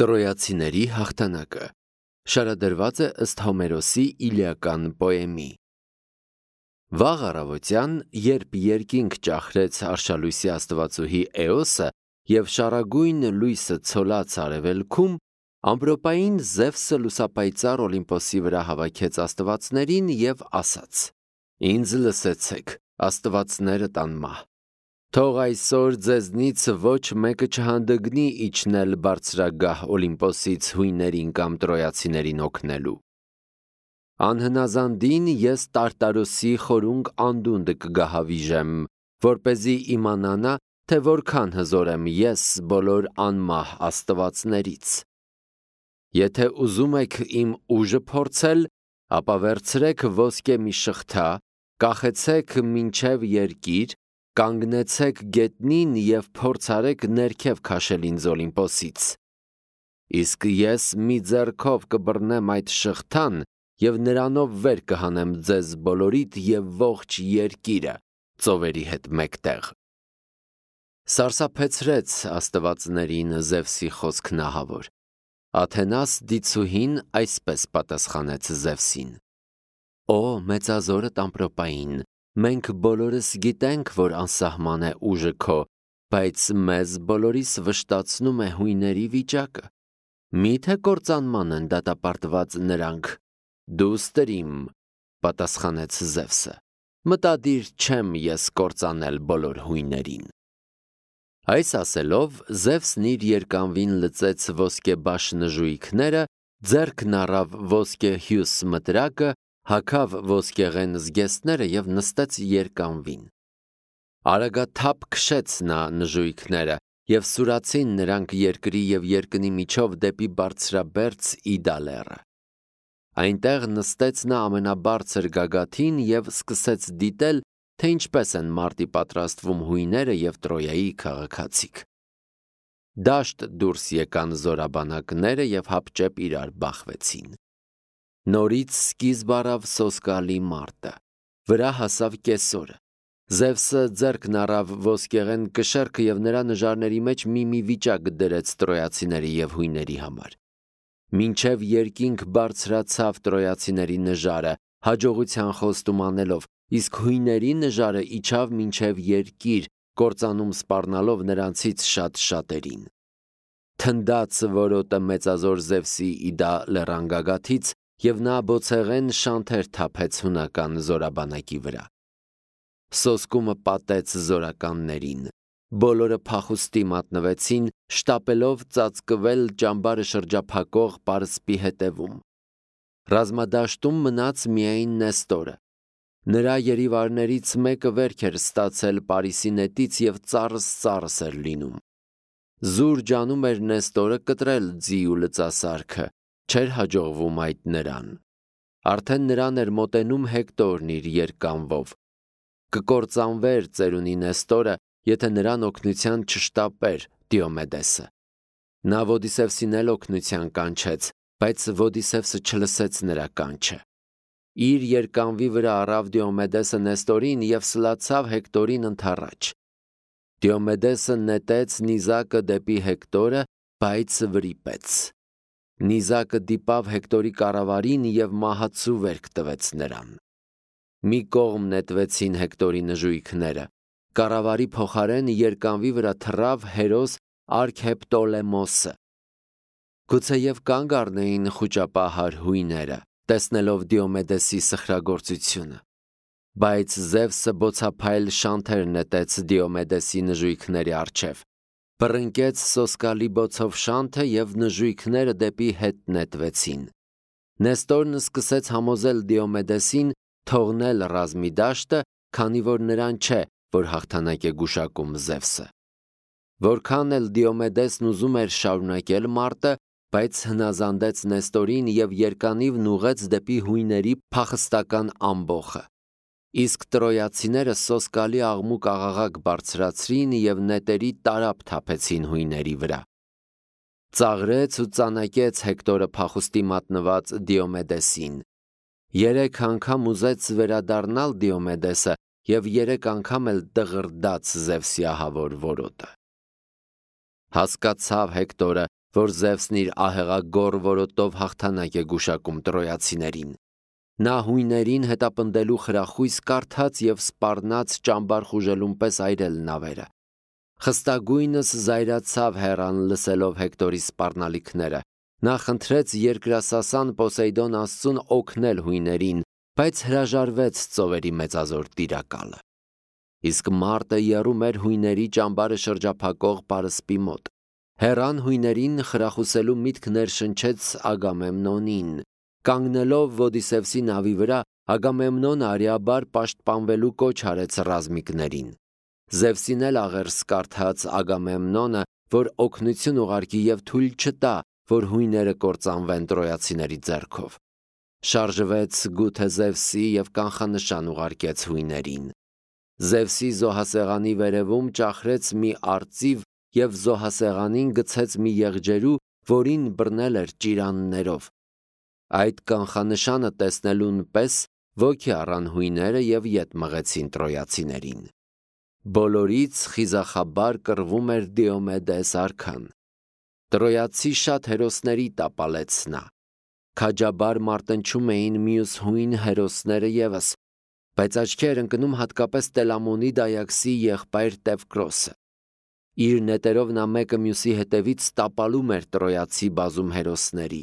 Տրոյացիների հաղթանակը շարադրված է ըստ Հոմերոսի իլիական պոեմի։ Վաղ առավոտյան, երբ երկինք ճախրեց արշալույսի աստվածուհի Էոսը և շառագույն լույսը ցոլաց արևելքում, ամպրոպային Զևսը լուսապայծառ Օլիմպոսի վրա հավաքեց աստվածներին և ասաց. «Ինձ լսեցեք, աստվածները տան մահ։ Թող այսօր ձեզնից ոչ մեկը չհանդգնի իջնել բարձրագահ Օլիմպոսից հույներին կամ տրոյացիներին օգնելու։ Անհնազանդին ես Տարտարոսի խորունկ անդունդը կգահավիժեմ, որպեսզի իմանա, թե որքան հզոր եմ ես բոլոր անմահ աստվածներից։ Եթե ուզում եք իմ ուժը փորձել, ապա վերցրեք ոսկե մի շղթա, կախեցեք մինչև երկիր, կանգնեցեք գետնին և փորձարեք ներքև քաշել ինձ Օլիմպոսից։ Իսկ ես մի ձեռքով կբռնեմ այդ շղթան և նրանով վեր կհանեմ ձեզ բոլորիդ և ողջ երկիրը ծովերի հետ մեկտեղ»։ Սարսափեցրեց աստվածներին Զևսի խոսքն ահավոր։ Աթենաս դիցուհին այսպես պատասխանեց Զևսին. «Օ մեծազորդ ամպրոպային, մենք բոլորս գիտենք, որ անսահման է ուժը քո, բայց մեզ բոլորիս վշտացնում է հույների վիճակը։ Մի՞թե կործանման են դատապարտված նրանք։ Դու ստրիմ, պատասխանեց Զևսը, մտադիր չեմ ես կործանել բոլոր հույներին»։ Այս ասելով Զևսն իր երկանվին լծեց ոսկեբաշ նժույգները, ձեռքն առավ ոսկե հյուս մտրակը, հագավ ոսկեղեն զգեստները և նստեց երկանվին։ Արագաթափ քշեց նա նժույգները, և սուրացին նրանք երկրի և երկնի միջով դեպի բարձրաբերձ Իդա լեռը։ Այնտեղ նստեց նա ամենաբարձր գագաթին և սկսեց դիտել, թե ինչպես են մարտի պատրաստվում հույները և Տրոյայի քաղաքացիք։ Դաշտ դուրս եկան զորաբանակները և հապճեպ իրար բախվեցին։ Նորից սկիզբ առավ սոսկալի մարտը, վրա հասավ կեսօրը։ Զևսը ձեռքն առավ ոսկեղեն կշեռքը և նրա նժարների մեջ մի վիճակ դրեց տրոյացիների և հույների համար։ Մինչև երկինք բարձրացավ տրոյացիների նժարը, հաջողության խոստում անելով, իսկ հույների նժարը իջավ մինչև երկիր, կործանում սպառնալով նրանցից շատ-շատերին։ Թնդաց որոտը մեծազոր Զևսի Իդա լեռան գագաթից, և նա բոցեղեն շանթեր թափեց հունական զորաբանակի վրա։ Սոսկումը պատեց զորականներին։ Բոլորը փախուստի մատնվեցին, շտապելով ծածկվել ճամբարը շրջափակող պարսպի հետևում։ Ռազմադաշտում մնաց միայն Նեստորը։ Նրա երիվարներից մեկը վերք էր ստացել Պարիսի նետից և ծառս էր լինում։ Զուր ջանում էր Նեստորը կտրել ձի ու լծասարքը, չէր հաջողվում այդ նրան։ Արդեն նրան էր մոտենում Հեկտորն իր երկանվով։ Կկործանվեր ծերունի Նեստորը, եթե նրան օգնության չշտապեր Դիոմեդեսը։ Նա Ոդիսևսին էլ օգնության կանչեց, բայց Ոդիսևսը չլսեց նրա կանչը։ Իր երկանվի վրա առավ Դիոմեդեսը Նեստորին և սլացավ Հեկտորին ընդառաջ։ Դիոմեդեսը նետեց նիզակը դեպի Հեկտորը, բայց վրիպեց։ Նիզակը դիպավ Հեկտորի կառավարին և մահացու վերք տվեց նրան։ Մի կողմ նետվեցին Հեկտորի նժույգները։ Կառավարի փոխարեն երկանվի վրա թռավ հերոս Արքեպտոլեմոսը։ Գուցեև կանգ առնեին խուճապահար հույները, տեսնելով Դիոմեդեսի սխրագործությունը։ Բայց Զևսը բոցափայլ շանթեր նետեց Դիոմեդեսի նժույգների առջև, բռնկեց սոսկալի բոցով շանթը և նժույգները դեպի հետ նետվեցին։ Նեստորն սկսեց համոզել Դիոմեդեսին թողնել ռազմի դաշտը, քանի որ նրան չէ, որ հաղթանակ է գուշակում Զևսը։ Որքան էլ Դիոմեդեսն ուզում էր շարունակել մարտը, բայց հնազանդեց Նեստորին և երկանիվն ուղղեց դեպի հույների փախստական ամբոխը։ Իսկ տրոյացիները սոսկալի աղմուկ-աղաղակ բարձրացրին և նետերի տարափ թափեցին հույների վրա։ Ծաղրեց ու ծանակեց Հեկտորը փախուստի մատնված Դիոմեդեսին։ 3 անգամ ուզեց վերադառնալ Դիոմեդեսը և 3 անգամ էլ դղրդաց Զևսի ահավոր որոտը։ Հասկացավ Հեկտորը, որ Զևսն իր ահեղագոռ որոտով հաղթանակ է գուշակում տրոյացիներին։ Նա հույներին հետապնդելու խրախույս կարդաց և սպառնաց ճամբար խուժելուն պես այրել նավերը։ Խստագույնս զայրացավ Հեռան լսելով Հեկտորի սպառնալիքները։ Նա խնդրեց երկրասասան Պոսեյդոն աստծուն օգնել հույներին, բայց հրաժարվեց ծովերի մեծազոր տիրակալը։ Իսկ մարտը եռում էր հույների ճամբարը շրջափակող պարսպի մոտ։ Հեռան հույներին խրախուսելու միտք ներշնչեց Ագամեմնոնին։ Կանգնելով Ոդիսևսի նավի վրա, Ագամեմնոնը արիաբար պաշտպանվելու կոչ արեց ռազմիկներին։ Զևսին էլ աղերս կարդաց Ագամեմնոնը, որ օգնություն ուղարկի և թույլ չտա, որ հույները կործանվեն տրոյացիների ձեռքով։ Շարժվեց գութը Զևսի և կանխանշան ուղարկեց հույներին։ Զևսի զոհասեղանի վերևում ճախրեց մի արծիվ և զոհասեղանին գցեց մի եղջերու, որին բռնել էր ճիրաններով։ Այդ կանխանշանը տեսնելուն պես ոգի առան հույները և ետ մղեցին տրոյացիներին։ Բոլորից խիզախաբար կռվում էր Դիոմեդես արքան։ Տրոյացի շատ հերոսների տապալեց նա։ Քաջաբար մարտնչում էին մյուս հույն հերոսները ևս, բայց աչքի էր ընկնում հատկապես Տելամոնի դայակցի եղբայր Տևկրոսը։ Իր նետերով նա մեկը մյուսի հետևից տապալում էր տրոյացի բազում հերոսների։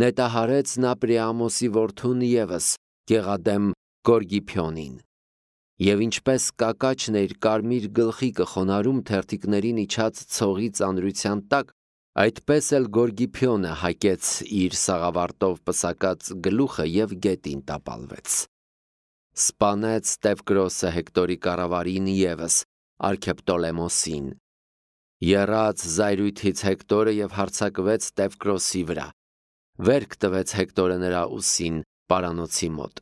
Նետահարեց նա Պրիամոսի որդուն ևս, գեղադեմ Գորգիփյոնին։ Եվ ինչպես կակաչն իր կարմիր գլխիկը խոնարհում թերթիկներին իջած ցողի ծանրության տակ, այդպես էլ Գորգիփյոնը հակեց իր սաղավարտով պսակած գլուխը և գետին տապալվեց։ Սպանեց Տևկրոսը Հեկտորի կառավարին ևս, Արքեպտոլեմոսին։ Եռաց զայրույթից Հեկտորը և հարձակվեց Տևկրոսի վրա։ Վերք տվեց Հեկտորը նրա ուսին պարանոցի մոտ։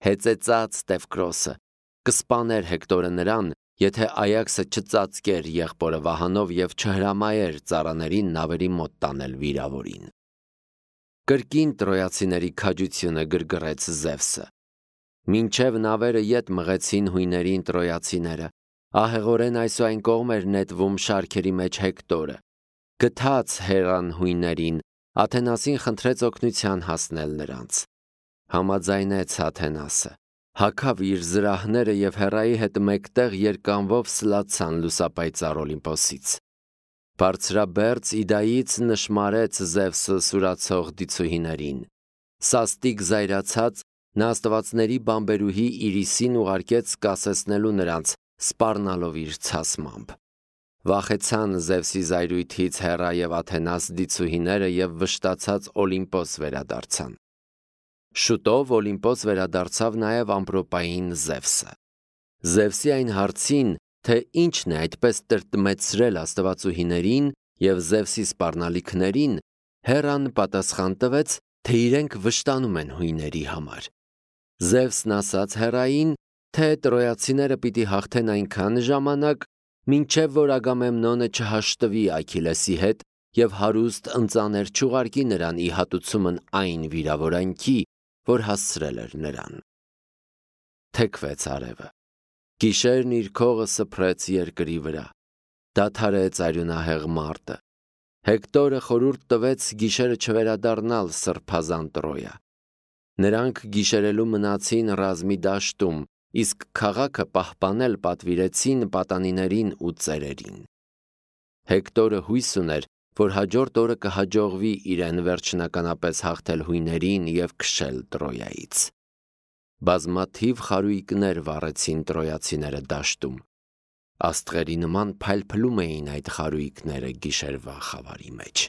Հեծեծած Տևկրոսը կսպաներ Հեկտորը նրան, եթե Այաքսը չծածկեր եղբորը վահանով և չհրամայեր ծառաներին նավերի մոտ տանել վիրավորին։ Կրկին տրոյացիների քաջությունը գրգռեց Զևսը։ Մինչև նավերը ետ մղեցին հույներին տրոյացիները, ահեղորեն այսուայն կողմ էր նետվում շարքերի մեջ Հեկտորը։ Գթած Հեռան հույներին, Աթենասին խնդրեց օգնության հասնել նրանց։ Համաձայնեց Աթենասը, հագավ իր զրահները և Հեռայի հետ մեկտեղ երկանվով սլացան լուսապայծառ Օլիմպոսից։ Բարձրաբերձ Իդայից նշմարեց Զևսը սուրացող դիցուհիներին։ Սաստիկ զայրացած նա աստվածների բանբերուհի Իրիսին ուղարկեց կասեցնելու նրանց, սպառնալով իր ցասմամբ։ Վախեցան Զևսի զայրույթից Հեռա և Աթենաս դիցուհիները և վշտացած Օլիմպոս վերադարձան։ Շուտով Օլիմպոս վերադարձավ նաև ամպրոպային Զևսը։ Զևսի այն հարցին, թե ինչն է այդպես տրտմեցրել աստվածուհիներին և Զևսի սպառնալիքներին, Հեռան պատասխան տվեց, թե իրենք վշտանում են հույների համար։ Զևսն ասաց Հեռային, թե տրոյացիները պիտի հաղթեն այնքան ժամանակ, մինչև որ Ագամեմնոնը չհաշտվի Աքիլեսի հետ և հարուստ ընծաներ չուղարկի նրան ի հատուցումն այն վիրավորանքի, որ հասցրել էր նրան։ Թեքվեց արևը։ Գիշերն իր քողը սփռեց երկրի վրա։ Դադարեց արյունահեղ մարտը։ Հեկտորը խորհուրդ տվեց գիշերը չվերադառնալ սրբազան Տրոյա։ Նրանք գիշերելու մնացին ռազմի դաշտում, իսկ քաղաքը պահպանել պատվիրեցին պատանիներին ու ծերերին։ Հեկտորը հույս ուներ, որ հաջորդ օրը կհաջողվի իրեն վերջնականապես հաղթել հույներին և քշել Տրոյայից։ Բազմաթիվ խարույկներ վառեցին տրոյացիները դաշտում։ Աստղերի նման փայլփլում էին այդ խարույկները գիշերվա խավարի մեջ։